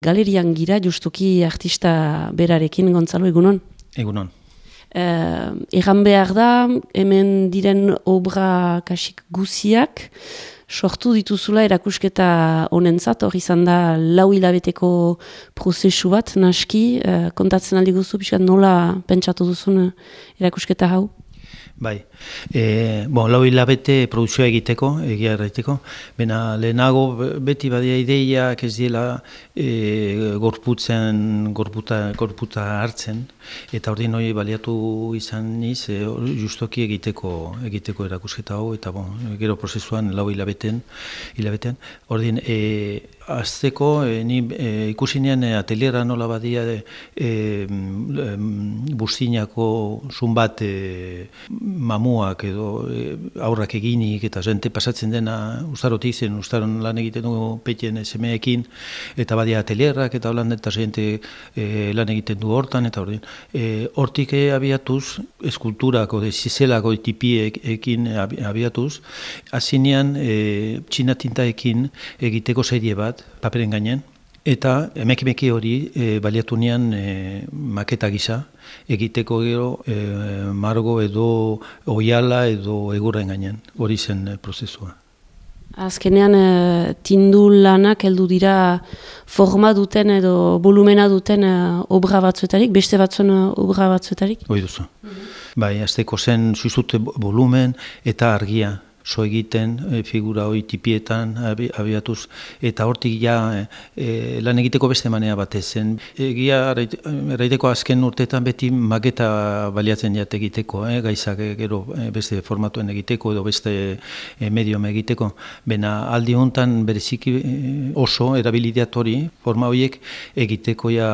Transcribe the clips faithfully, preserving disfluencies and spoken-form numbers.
Galerian gira, justuki artista berarekin, Gontzalo, egunon? Egunon. Uh, egan behar da, hemen diren obra kasik guziak, sortu dituzula erakusketa honentzat, hor izan da lau hilabeteko prozesu bat, naski, uh, kontatzen aldi guzu, pixkat nola pentsatu duzun erakusketa hau? Bai, e, bon, lau hilabete produkzioa egiteko, egia erraiteko, bena lehenago beti badia ideiak ez diela e, gorputzen, gorputa, gorputa hartzen, eta ordin hori baliatu izan niz, e, justoki egiteko, egiteko erakusketa hau, eta bon, gero prozesuan lau hilabeten, hilabetean, ordin, e, azteko, e, ni e, ikusinean e, ateliera nola badia e, e, bustinako zun bat e, mamuak edo e, aurrak eginik eta jente pasatzen dena ustarotik zen, ustaron lan egiten dugu petien semeekin eta badia atelierrak eta holan eta jente e, lan egiten du hortan eta ordin. E, hortik e, abiatuz, eskulturako, zizelako tipiekin abiatuz, azinean e, txinatintaekin egiteko serie bat, paperen gainen, eta emekimeki hori e, baliatu nian e, maketa gisa, egiteko gero e, margo edo oiala edo egurren gainen, hori zen e, prozesua. Azkenean, e, tindu lanak heldu dira forma duten edo volumena duten e, obra batzuetarik, beste batzuen e, obra batzuetarik? Hoi duzu. Mm-hmm. Bai, azteko zen zuzute volumen eta argia. So egiten, e, figura hori tipietan abiatuz, eta hortik ja e, lan egiteko beste manea batez zen. Egia erraiteko azken urteetan beti maketa baliatzen jat egiteko, eh, gaizak gero beste formatuen egiteko edo beste e, medium egiteko. Bena aldi hontan bereziki oso erabilidiat hori, forma horiek egiteko ja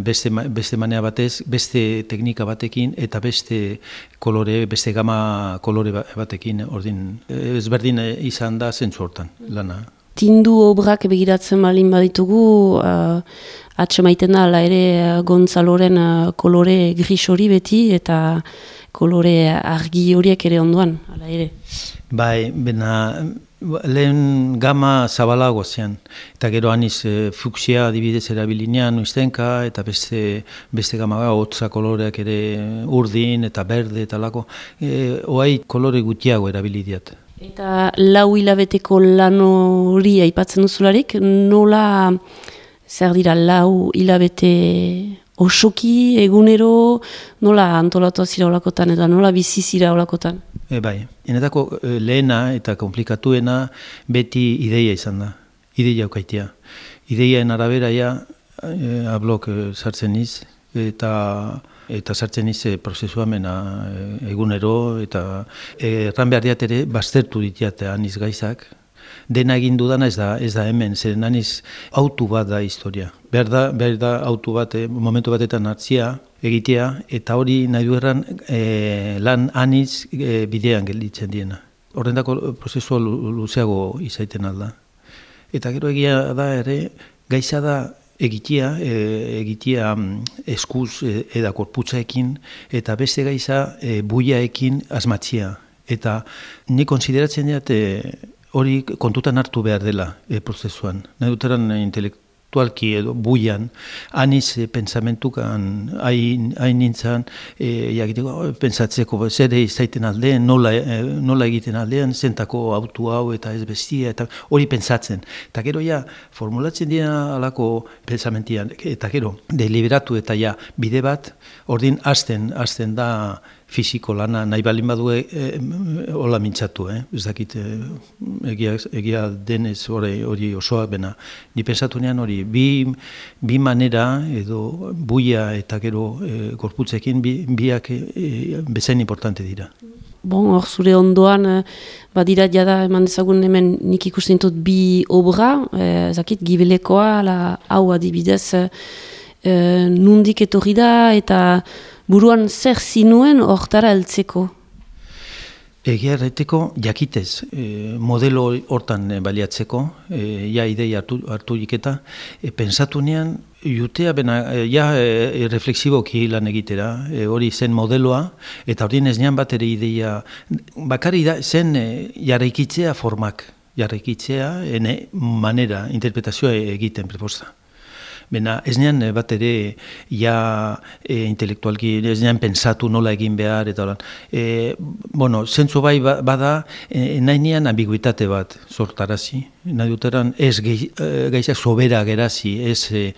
beste, beste manea batez, beste teknika batekin eta beste kolore, beste gama kolore batekin ordin. Ezberdin izan da zentzu hortan, lana. Tindu obrak begiratzen balin baditugu, uh, atsemaiten da, ala ere Gontzaloren uh, kolore gris hori beti, eta kolore argi horiek ere ondoan, ala ere. Bai, bena lehen gama zabalago zen, eta gero aniz e, fuksia adibidez erabilinean uiztenka, eta beste, beste gama hotza koloreak ere urdin eta berde eta lako, e, oai kolore gutiago erabilidiat. Eta lau hilabeteko lan hori aipatzen duzularik, nola zer dira lau hilabete osoki, egunero, nola antolatu zira olakotan eta nola bizi zira olakotan? E, bai, enetako e, lehena eta komplikatuena beti ideia izan da, ideia aukaitea. Ideiaen arabera ja, e, ablok e, sartzen niz, eta eta sartzen niz e, prozesua mena e, egunero, eta erran behar diat ere, baztertu ditiat aniz gaizak. Dena egin dudana ez da, ez da hemen, zeren aniz autu bat da historia. Behar da, behar da autu bat, eh, momentu batetan hartzia, egitea, eta hori nahi du erran eh, lan aniz eh, bidean gelditzen diena. Horrendako prozesua luzeago izaiten alda. Eta gero egia da ere, gaiza da egitea, e, egitea eskuz e, eda korputzaekin, eta beste gaiza e, buiaekin asmatzia. Eta ni konsideratzen dut, e, hori kontutan hartu behar dela e, prozesuan. Nahi duteran intelektualki edo buian, aniz e, pensamentukan hain nintzen, e, jakiteko, oh, pensatzeko zer izaiten aldean, nola, e, nola egiten aldean, zentako autu hau eta ez bestia, eta hori pentsatzen. Eta gero ja, formulatzen dira alako pensamentian, eta gero, deliberatu eta ja, bide bat, ordin hasten, hasten da, fisiko lana nahi balin badue e, hola mintzatu, eh? Ez dakit e, egia, egia denez hori, hori osoa bena. Ni pensatu nean hori, bi, bi manera edo buia eta gero e, gorputzekin bi, biak e, bezain importante dira. Bon, hor zure ondoan, badira jada eman dezagun hemen nik ikusten dut bi obra, eh, zakit, gibelekoa, la, hau adibidez, eh, nundik etorri da eta buruan zer zinuen hortara heltzeko? Egia erraiteko jakitez, e, modelo hortan e, baliatzeko, e, ja ideia hartu, hartu jiketa, e, pensatu nean, jutea bena, e, ja e, refleksiboki lan egitera, e, hori zen modeloa, eta hori ez nean bat ere ideia, bakari da, zen e, jarraikitzea formak, jarraikitzea, ene manera, interpretazioa egiten preposta. Bena, ez nean bat ere, ja e, intelektualki, ez nean pensatu nola egin behar, eta holan. E, bueno, zentzu bai bada, e, nahi nean ambiguitate bat sortarazi. Nahi duteran, ez gaizak sobera gerazi, ez... E,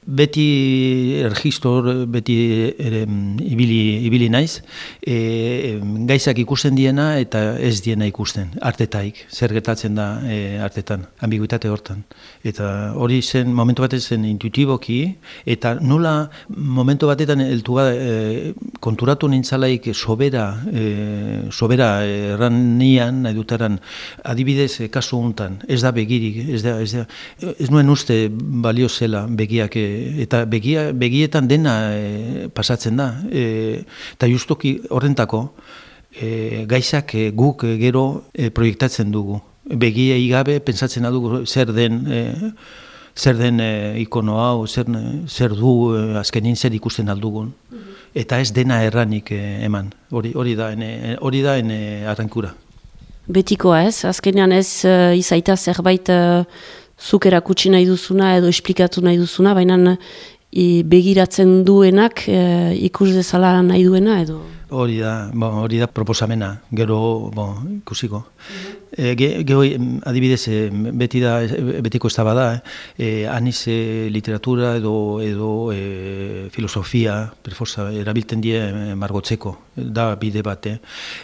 beti ergistor, beti ere, ibili, ibili naiz, e, gaizak ikusten diena eta ez diena ikusten, artetaik, zer gertatzen da e, artetan, ambiguitate hortan. Eta hori zen, momentu batetan zen intuitiboki, eta nola momentu batetan eltu e, konturatu nintzalaik sobera, e, sobera erran nian, nahi dutaran, adibidez, e, kasu hontan, ez da begirik, ez da, ez da, ez nuen uste balio zela begiak e, eta begia, begietan dena e, pasatzen da. E, eta justuki horrentako e, gaizak e, guk e, gero e, proiektatzen dugu. Begia igabe pentsatzen dugu zer den e, zer den e, ikono hau, zer, zer du e, azkenin zer ikusten aldugun. Eta ez dena erranik e, eman. Hori, hori da ene, hori da ene arrankura. Betikoa ez, azkenean ez uh, izaita zerbait uh, zuk erakutsi nahi duzuna edo esplikatu nahi duzuna, baina i, begiratzen duenak e, ikus dezala nahi duena edo? Hori da, bon, hori da proposamena, gero bon, ikusiko. Mm-hmm. E, ge, gero adibidez, beti da, betiko ez da bada, eh? aniz e, literatura edo, edo e, filosofia, perforza, erabilten die margotzeko, da bide bat. Eh?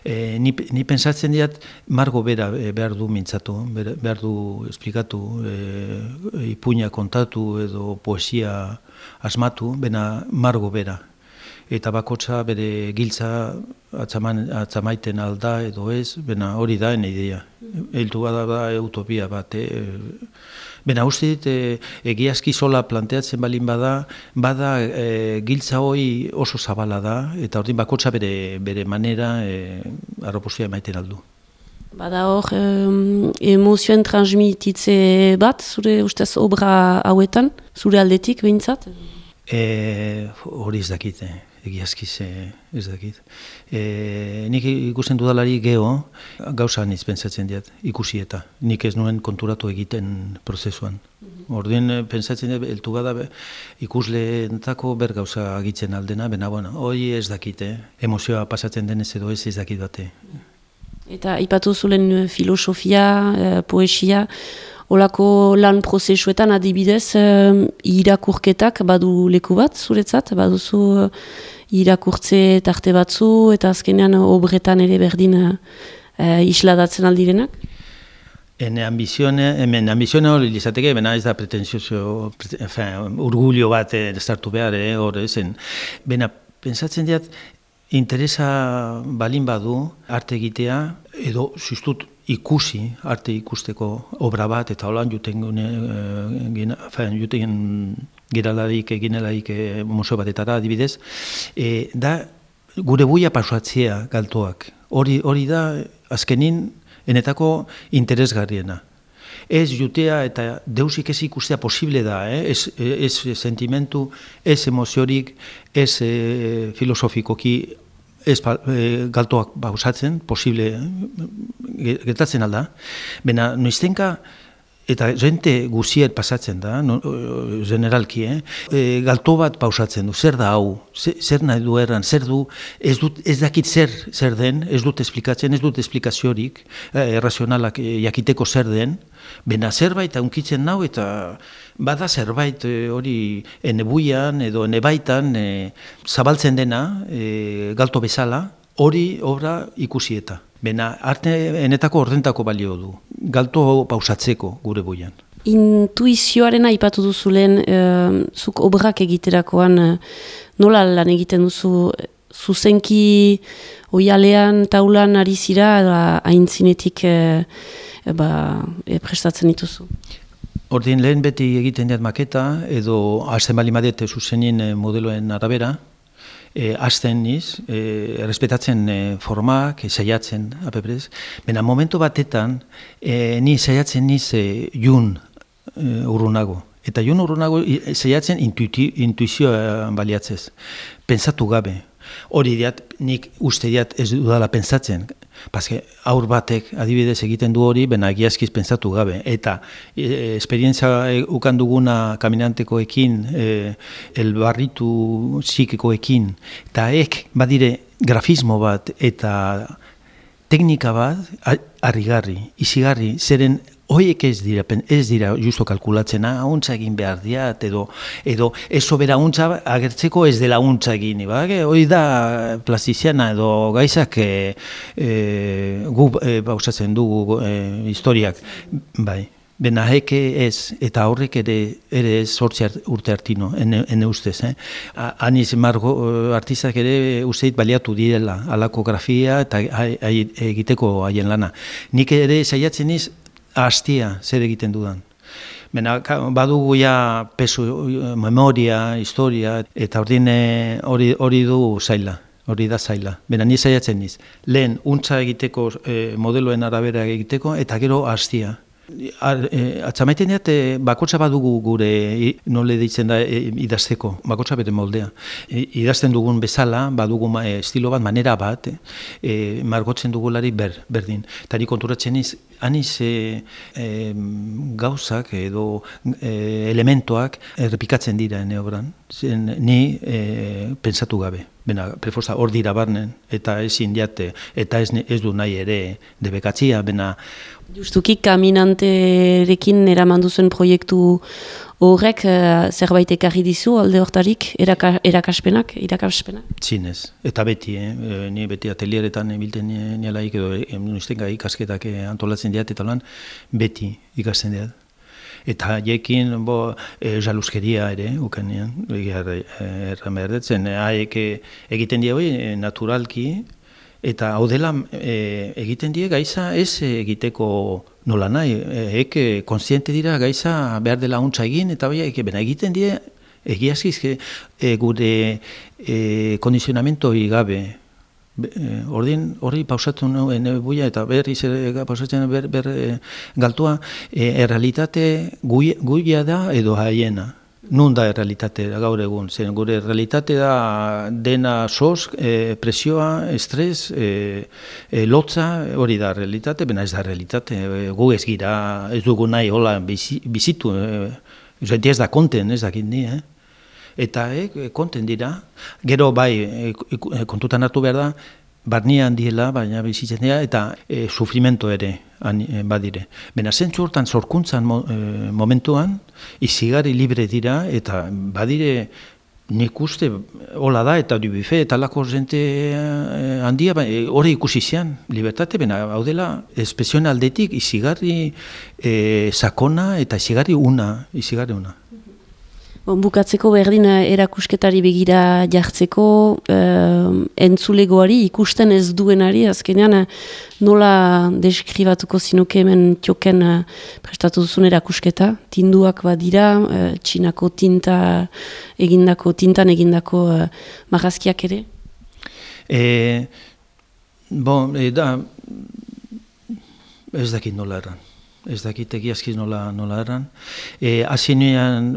E, ni, ni pensatzen diat, margo bera behar du mintzatu, behar du esplikatu, e, ipuina kontatu edo poesia asmatu, bena margo bera. Eta bakotza bere giltza atzaman, atzamaiten alda edo ez, bena hori da ene ideia. Eltu bada da utopia bat. Eh? Bena uste dit, e, egiazki sola planteatzen balin bada, bada e, giltza hori oso zabala da, eta ordin bakotza bere, bere manera e, arroposia emaiten aldu. Bada hor, um, emozioen transmititze bat, zure ustez obra hauetan, zure aldetik behintzat? E, hori ez dakit, eh? Egiazkiz ez dakit. E, nik ikusten dudalari geho, gauza niz pentsatzen diat, ikusi eta. Nik ez nuen konturatu egiten prozesuan. Orduen pentsatzen diat, eltu bada ikusleentako ber gauza agitzen aldena, bena, bueno, hori ez dakit, eh? Emozioa pasatzen denez edo ez ez dakit bate. Eta ipatu zulen filosofia, eh, poesia, olako lan prozesuetan adibidez eh, irakurketak badu leku bat zuretzat, baduzu eh, irakurtze tarte batzu eta azkenean obretan ere berdin eh, isladatzen aldirenak? Ene ambizione, hemen ambizione hori izateke, bena ez da pretenzioso, enfin, urgulio bat ez hartu behar, eh, hor ezen. Bena, pensatzen diat, interesa balin badu arte egitea, edo zuztut ikusi, arte ikusteko obra bat, eta holan juten gune,fen, juten giralarik, eginelarik e, museo batetara adibidez, e, da gure buia pasuatzea galtoak. Hori, hori da azkenin enetako interesgarriena. Ez jutea eta deusik ez ikustea posible da, eh? ez, ez sentimentu, ez emoziorik, ez e, filosofikoki, ez e, galtoak bauzatzen, posible, eh? gertatzen alda. Bena, noiztenka, eta jente guziet pasatzen da, no, generalki, eh? E, galto bat pausatzen du, zer da hau, zer, zer nahi du erran, zer du, ez, dut, ez dakit zer, zer den, ez dut esplikatzen, ez dut esplikaziorik, eh, errazionalak eh, jakiteko zer den, bena zerbait aunkitzen nau eta bada zerbait e, hori enebuian edo enebaitan e, zabaltzen dena, e, galto bezala, hori obra ikusi eta. Bena, arte enetako ordentako balio du, galto pausatzeko gure buian. Intuizioaren aipatu duzu lehen, e, zuk obrak egiterakoan e, nola lan egiten duzu, zuzenki oialean, taulan ari zira, aintzinetik e, e, ba, e, prestatzen dituzu? Ordin lehen beti egiten diat maketa, edo hasten bali madete zuzenin modeloen arabera, E, azten niz, e, errespetatzen e, formak, e, saiatzen, apeprez. Bena, momentu batetan, e, ni saiatzen niz e, jun e, urrunago. Eta jun urrunago e, saiatzen intuiti, intuizioa baliatzez. Pensatu gabe. Hori diat, nik uste diat ez dudala pensatzen. Paske aur batek adibidez egiten du hori, bena egiazkiz pentsatu gabe. Eta e, esperientzia ukan duguna kaminantekoekin, e, elbarritu psikikoekin, eta ek badire grafismo bat eta teknika bat harrigarri, izigarri, zeren hoiek ez dira, ez dira justo kalkulatzen, untza egin behar diat, edo, edo eso bera untza agertzeko ez dela untza egin. Ba? Hoi da plastiziana edo gaizak e, e, gu e, bauzatzen dugu e, historiak. Bai. Bena heke ez, eta horrek ere, ere ez sortzi urte hartino, ene, ene ustez. Eh? Aniz margo artistak ere usteit baliatu direla, alako grafia eta egiteko haien lana. Nik ere saiatzen iz, hastia zer egiten dudan. Bena, badugu ja pesu, memoria, historia, eta hori hori du zaila. Hori da zaila. Bena, ni saiatzen niz. Lehen, untza egiteko, eh, modeloen arabera egiteko, eta gero hastia. Atzamaiten diat, bakotsa badugu gure, nole ditzen da, idazteko, bakotsa bere moldea. Idazten dugun bezala, badugu estilo bat, manera bat, e, margotzen dugulari ber, berdin. Eta ni konturatzen iz, aniz e, e, gauzak edo e, elementoak errepikatzen dira ene obran. Zen, ni e, pensatu gabe. Bena, prefosta hor dira barnen, eta ezin diate, eta ez, ez du nahi ere debekatzia, bena... Justuki, kaminanterekin eraman duzuen proiektu horrek uh, zerbait ekarri dizu alde hortarik, eraka, erakaspenak, irakaspenak? Zinez, eta beti, eh? Ni beti atelieretan bilten nielaik edo nuztenga ikasketak antolatzen diat, eta lan beti ikasten diat. Eta jekin, bo, e, jaluskeria ere, ukanean, erran behar detzen, haek egiten die hori naturalki, eta hau dela e, egiten die gaiza ez egiteko nola nahi, ek konstiente dira gaiza behar dela untza egin, eta bai, bena egiten die egiazkiz e, gure e, kondizionamentu gabe. Ordin hori pausatu nuen buia eta berriz pausatzen ber, ber e, galtua, e, errealitate guia da edo haiena. Nun da errealitate gaur egun, zen gure errealitate da dena soz, e, presioa, estres, e, e, lotza, hori da errealitate, bena ez da errealitate, e, gu ez gira, ez dugu nahi hola bizitu, e, ez da konten, ez dakit ni, eh? Eta e, konten dira, gero bai e, kontutan hartu behar da, barnean diela, baina bizitzen dira, eta e, sufrimento ere badire. Bena zentzu hortan zorkuntzan mo, e, momentuan, izigarri libre dira, eta badire nik uste hola da, eta dubife, eta lako zente handia, hori ikusi zian, libertate, bena hau dela, espesioen aldetik izigarri e, sakona, eta izigarri una, izigarri una. Bon, bukatzeko berdin erakusketari begira jartzeko, eh, entzulegoari ikusten ez duenari, azkenean nola deskribatuko zinuke hemen tioken eh, prestatu duzun erakusketa, tinduak badira, eh, txinako tinta egindako, tintan egindako eh, marrazkiak ere? E, bon, e, da, ez dakit nola erran. Ez dakit egiazkiz nola, nola erran. E, Azinean,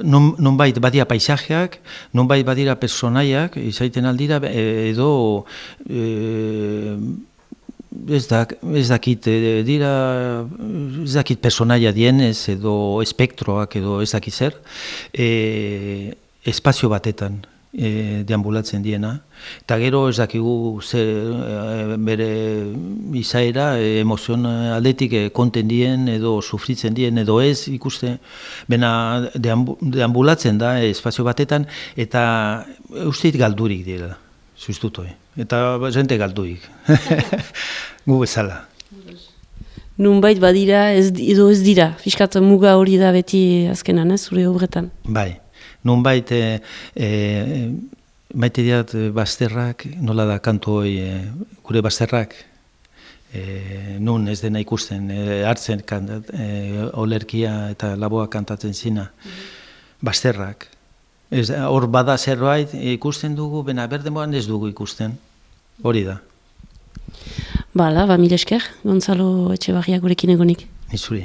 nonbait badia paisajeak, nonbait badira personaiak, izaiten aldira, edo e, ez, dak, ez dakit dira, ez dakit personaia dienez, edo espektroak, edo ez dakit zer, e, espazio batetan e, deambulatzen diena. Eta gero ez dakigu ze, e, bere izaera, e, emozion aldetik e, konten dien edo sufritzen dien edo ez ikuste, bena deambu, deambulatzen da e, espazio batetan eta usteit galdurik direla, zuztutoi. Eta jente galdurik, gu bezala. Nunbait badira ez, edo ez dira, fiskat muga hori da beti azkenan, ez, zure obretan? Bai, nunbait e, e, maite diat bazterrak, nola da kantu hori, e, gure bazterrak, e, nun ez dena ikusten, e, hartzen kantat, e, olerkia eta laboa kantatzen zina, mm-hmm. Bazterrak. Ez, hor bada zerbait ikusten dugu, bena berdemoan ez dugu ikusten, hori da. Bala, ba mil esker, Gonzalo Etxebarria gurekin egonik. Nizuri.